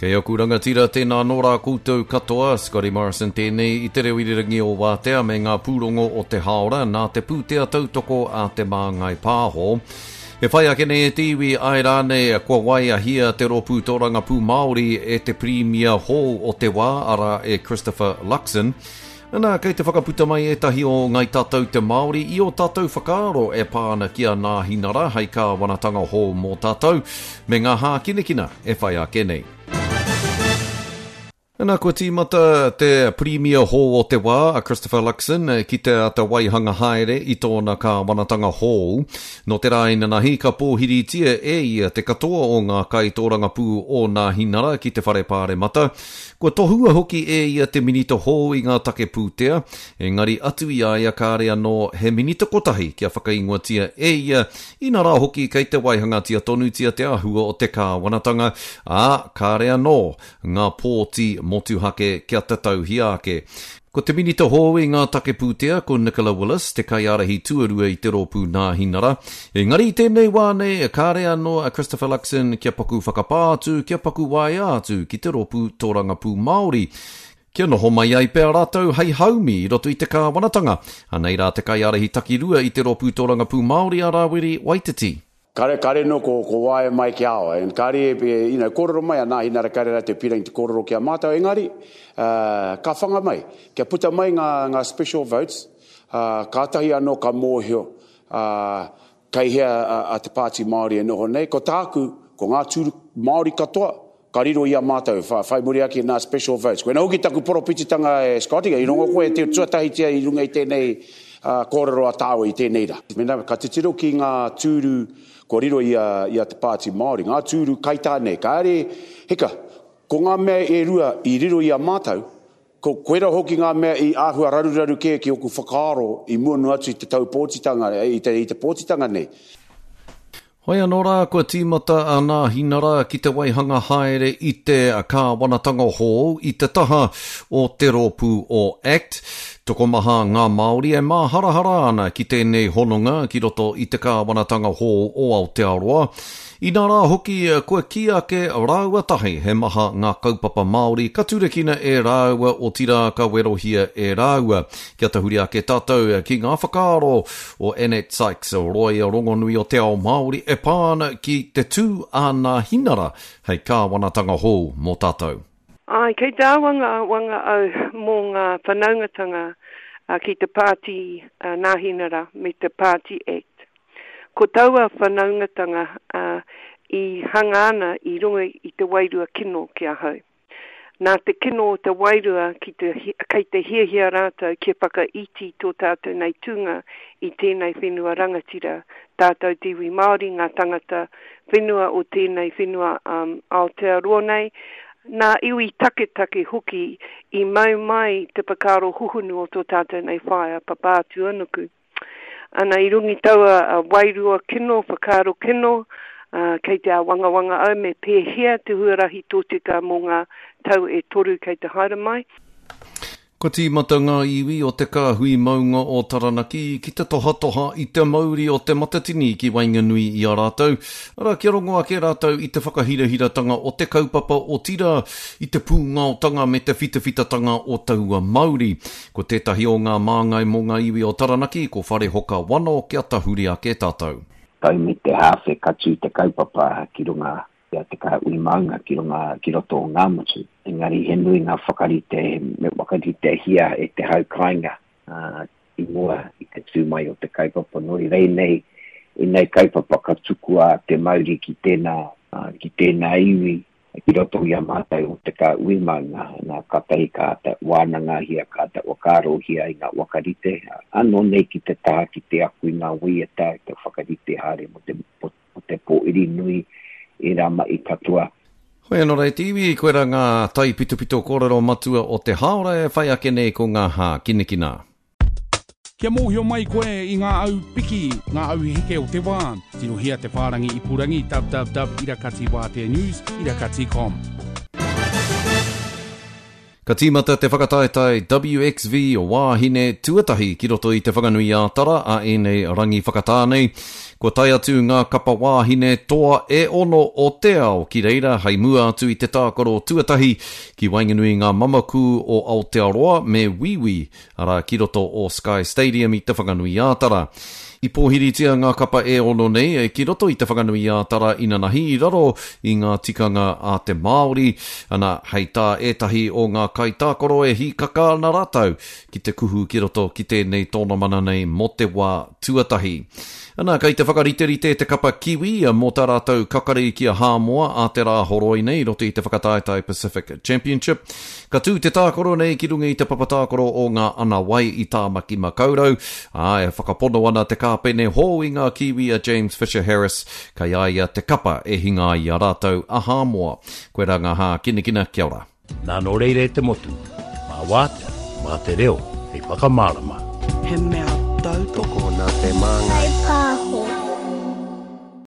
Kei aku rangatira, tēnā anō rā koutou katoa, Scotty Morrison tēnei i te reo irirangi o Wātea me ngā pūrongo o te hāora nā te pūtea tautoko a Te Māngai Pāho. E whai ake nei e te iwi, āe rānei, kua waeahia te Rōpū Tōrangapū Māori e te Pirimia hou o te wā, arā, e Christopher Luxon. Ana, kei te whakaputa mai ētahi o Ngai Tātou te Māori i ō tātou whakaaro e pā ana ki a Nāhinara hei kāwanatanga hou mō tātou, me ngā hākinakina e whai ake nei. Ana, kua tīmata te Pirimia hou o te wā, a Christopher Luxon, ki te āta waihanga haere i tōna kāwanatanga hou. Nō te rā inanahi, ka pōhiritia e ia te katoa o ngā kaitōrangapū o Nāhinara ki te Whare Pāremata, Kua tohua hoki e ia te minita hou i ngā take pūtea, engari atu i a ia kāre anō he minita kotahi kia whakaingoatia e ia, inarā hoki kei te waihangatia tonutia te āhua o te kāwanatanga, ā, kāre anō ngā pōti motuhake kia tatauhia ake. Ko te Minita hou i ngā take pūtea, ko Nicola Willis, te kaiārahi tuarua i te Rōpū Nāhinara. Engari i tēnei wā nei, kāre anō a Christopher Luxon kia paku whakapā atu, kia paku waea atu ki te Rōpū Tōrangapū Māori, kia noho mai ai pea rātou hei haumi i roto i te kāwanatanga. Anei rā te kaiārahi takirua i te Rōpū Tōrangapū Māori a Rāwiri Waititi. Kare, kare no ko, ko waea mai ki a oe. And kare e, you know, kōrero mai a Nāhinara kare rātou pirangi te kōrero ki a mātou, engari, uh, ka whanga mai. Kia puta mai ngā, ngā special votes, uh, kātahi anō ka mōhio, uh, kei hea a, a te Pāti Māori e noho nei. Ko tāku, ko ngā tūru Māori katoa, Ka riro i a mātou, whai muri ake nā special votes. Koina hoki taku poropititanga e Scotty, i rongo koe te tuatahitia i runga i tēnei kōrero a tāua i tēnei rā. Mēnā ka titiro ki ngā tūru kua riro i a, i a Te Pāti Māori, ngā tūru kaitā nei, kāre, hika, ko ngā mea e rua i riro i a mātou, ko, koira hoki ngā mea i āhua raruraru kē ki oku whakaaro i mua noa atu i te tau pōtitanga, i te, i te pōtitanga nei. Hoi anō rā, kua tīmata a Nāhinara ki te waihanga haere i te kāwanatanga hou i te taha o te rōpū o act. Tokomaha ngā Māori e māharahara ana ki tēnei hononga ki roto i te kāwanatanga hou o Aotearoa. Inā rā hoki, kua kī ake rāua tahi he maha ngā kaupapa Māori ka turakina e rāua otirā ka werohia e rāua. Kia tahuri ake tātou ki ngā whakaaro o Annette Sykes, rōia rongonui o te ao Māori e pā ana ki te tū a Nāhinara hei kāwanatanga hou mō tātou. Āe, kei te āwangawanga au mō ngā whanaungatanga ki te Pāti Nāhinara me te Pāti Act. Ko taua whanaungatanga i hanga ana i runga i te wairua kino ki ahau. Nā te kino o te wairua ki te, kei te hiahia rātou kia whakaiti tō tātou nei tūnga i tēnei whenua rangatira, tātou te iwi Māori, ngā tangata whenua o tēnei whenua um, Aotearoa nei, nā iwi taketake hoki i mau mai te whakaaro huhunu o tō tātou nei whaea Papātūanuku. Ana, i runga i taua wairua kino, whakaaro kino, kei te āwangawanga au me pēhea te huarahi tōtika mō ngā tau e toru kei te haere mai. Kua tīmata ngā iwi o te kāhui maunga o Taranaki ki te tohatoha i te mauri o Te Matatini ki waenganui i a rātou, arā, kia rongo ake rātou i te whakahirahiratanga o te kaupapa otirā i te pūngaotanga me te whitawhitatanga o taua mauri. Ko tētahi o ngā māngai mō ngā iwi o Taranaki, ko Wharehoka Wano kia tahuri ake tātou. Tau me te hāwhe ka tū te kaupapa ki runga i a Te Kāhui Maunga ki runga ki roto o Ngāmotu. Engari he nui ngā whakarite me whakaritehia e te hau kāinga i mua i te tū mai o te kaupapa. Nō reira ēnei, ēnei kaupapa ka tukua te mauri ki tēnā, ki tēnā iwi ki roto i a mātou o Te Kāhui Maunga, nā, kātahi ka āta wānangahia, ka āta whakaarohia i ngā whakarite, anō nei ki te taha ki te ako i ngā waiata, te whakarite haere mō te, mō te pōiri nui, ērā mahi katoa. Hoi anō rā e te iwi, koirā ngā taipitopito kōrero matua o te hāora e whai ake nei ko ngā hākinakina. Kia mōhio mai koe i ngā au piki, ngā au heke o te wā, tirohia te whārangi ipurangi www irakatiwāteanews irakati com. Ka tīmata te whakataetae WXV wāhine tuatahi ki roto i Te Whanganui-ā-Tara a ēnei rangi whakatā nei. Kua tae atu ngā kapa wāhine toa e ono o te ao ki reira hei mua atu i te tākaro tuatahi ki waenganui i ngā mamaku o Aotearoa me Wīwī arā, ki roto o Sky Stadium i Te Whanganui-ā-Tara. I pōhiritia ngā kapa e ono nei ki roto i Te Whanganui-ā-Tara inanahi i raro i ngā tikanga a te Māori, ana, hei tā ētahi o ngā kaitākaro e hīkaka ana rātou ki te kuhu ki roto ki tēnei tōnamana nei mō te wā tuatahi. Ana, kei te whakariterite te kapa Kiwi mō tā rātou kakari ki a Hāmoa ā te Rāhoroi nei i roto i te whakataetae Pacific Championship. Ka tū te tākaro nei ki runga i te papa tākaro o ngā Ana Wai i Tāmaki Makaurau, ā, e whakapono ana te kāpene hou i ngā Kiwi a James Fisher Harris, kei a ia te kapa e hinga ai i a rātou a Hāmoa. Koirā ngā hākinakina, kia ora. Nā nō reira e te motu, mā Wātea, mā te reo hei whakamārama. He mea tautoko. Tokona te māngai.